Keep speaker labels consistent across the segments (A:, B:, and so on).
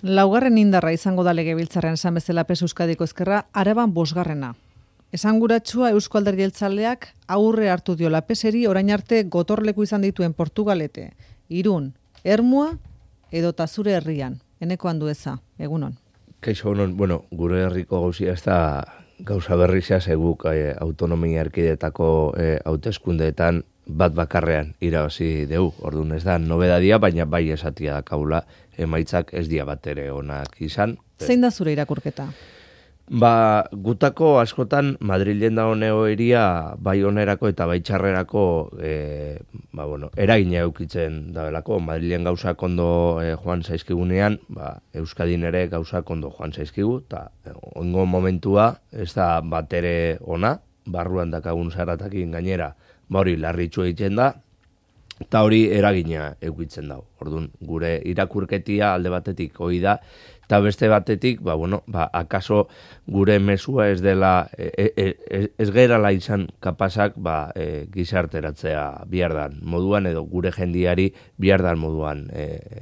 A: Laugarren indarra izango da legebiltzarrean esan bezala PES Euskadiko Ezkerra, Araban 5. Esanguratsua Eusko Alderdi Jeltzaleak aurre hartu diola PESeri orain arte gotorleku izan dituen Portugalete, Irun, Ermua edota zure herrian. Eneko Andueza, egunon.
B: Kaixo, gure herriko gauzia ez da gauza berrizia zeguk autonomia erkidetako hauteskundeetan bat bakarrean irabazi deu. Orduan ez da nobedadia, baina bai esatia da kaula emaitzak ez dia bat ere onak izan.
A: Zein da zure irakurketa?
B: Gutako askotan Madrilen da honeo iria bai onerako eta bai txarrerako eragina eukitzen dabelako. Madrilen gauzak ondo joan zaizkigunean, Euskadin ere gauzak ondo joan zaizkigu, eta ongo momentua ez da bat ere ona, barruan dakagun zaratakin gainera, hori larritxu egiten da, eta hori eragina eukitzen dago. Orduan, gure irakurketia alde batetik hori da, eta beste batetik, akaso gure mezua ez dela, ez gerala izan kapazak gizarteratzea bihardan moduan, edo gure jendiari bihardan moduan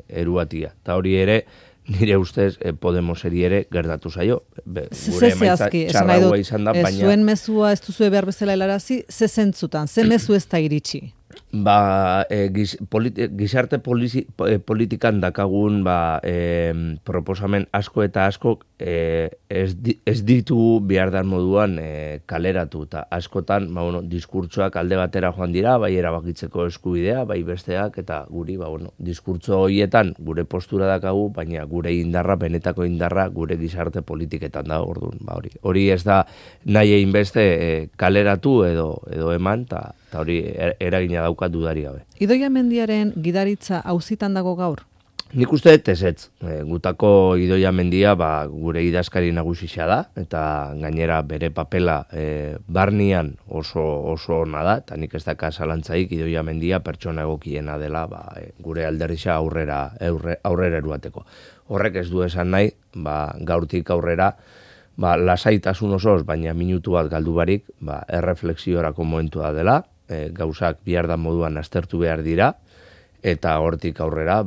B: eruatia. Eta hori ere, nire ustez Podemoseri ere gertatu zaio. Gure emaitza txarragoa izan da, baina...
A: Zuen mezua ez duzue behar bezala helarazi, ze zentzutan, ze mezu ez da iritsi?
B: Gizarte politikan dakagun proposamen asko eta asko ez ditu bihardan moduan kaleratu, eta askotan diskurtsoak alde batera joan dira, bai erabakitzeko eskubidea, bai besteak, eta guri diskurtso horietan gure postura dakagu, baina gure indarra, benetako indarra, gure gizarte politiketan da, orduan. Hori ez da nahi egin beste kaleratu edo eman, eta hori eragina daukat dudari gabe.
A: Idoia Mendiaren gidaritza auzitan dago gaur?
B: Nik uste ez. Gutako Idoia Mendia gure idazkari nagusisia da, eta gainera bere papela barnian oso ona da, eta nik ez daka zalantzaik Idoia Mendia pertsona egokiena dela gure alderdixa aurrera eruateko. Horrek ez du esan nahi, gaurtik aurrera, lasaitasun osoz, baina minutu bat galdu barik, erreflexiorako momentua dela, gauzak bihardan moduan aztertu behar dira, eta hortik aurrera,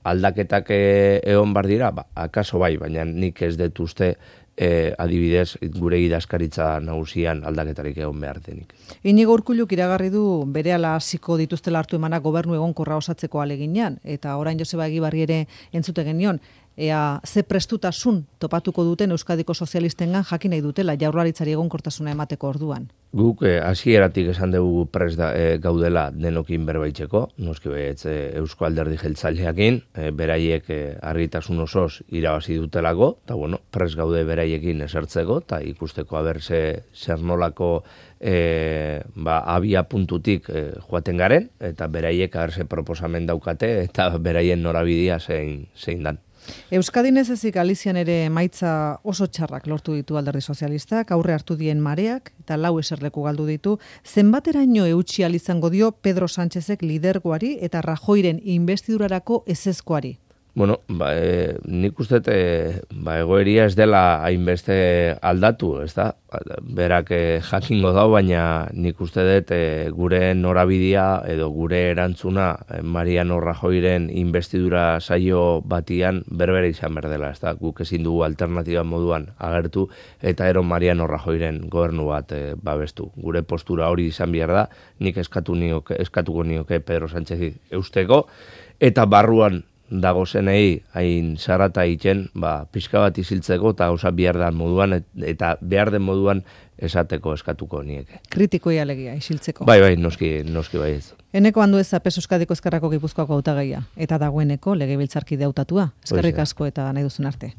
B: aldaketak egon bar dira, akaso bai, baina nik ez dut uste adibidez gure idazkaritza nagusian aldaketarik egon behar denik.
A: Inigo Urkulluk iragarri du berehala hasiko dituztela hartu emanak gobernu egonkorra osatzeko aleginean, eta orain Joseba Egibarri ere entzute genion, ea ze prestutasun topatuko duten Euskadiko sozialistengan jakin nahi dutela Jaurlaritzari egonkortasuna emateko orduan.
B: Guk hasieratik esan dugu prest gaudela denokin berbaitzeko, noski Eusko Alderdi Jeltzaleakin, beraiek argitasun osoz irabazi dutelako, eta prest gaude beraiekin esertzeko, eta ikusteko zer nolako abia puntutik joaten garen, eta beraiek aberse proposamen daukate, eta beraien norabidea zein dan.
A: Euskadin ez ezik Galizian ere emaitza oso txarrak lortu ditu Alderdi Sozialistak, aurre hartu dien Mareak eta 4 eserleku galdu ditu. Zenbateraino eutsi ahal izango dio Pedro Sánchezek lidergoari eta Rajoyren inbestidurarako ezezkoari?
B: Nik uste egoeria ez dela hainbeste aldatu, ez da? Berak jakingo dau, baina nik uste dut gure norabidea edo gure erantzuna Mariano Rajoyren inbestidura saio batian berbere izan berdela, ez da? Guk ezin dugu alternatiba moduan agertu eta ero Mariano Rajoyren gobernu bat babestu. Gure postura hori izan behar da, nik eskatuko nioke Pedro Sánchez eusteko, eta barruan dago zenei hain zarata egiten, pixka bat iziltzeko eta gauza behar den moduan eta behar den moduan esateko eskatuko nieke.
A: Kritikoia alegia, isiltzeko.
B: Bai, noski bai ez.
A: Eneko Andueza PES Euskadiko Ezkerrako Gipuzkoako hautagaia eta dagoeneko legebiltzarkide hautatua. Eskerrik asko eta nahi duzun arte.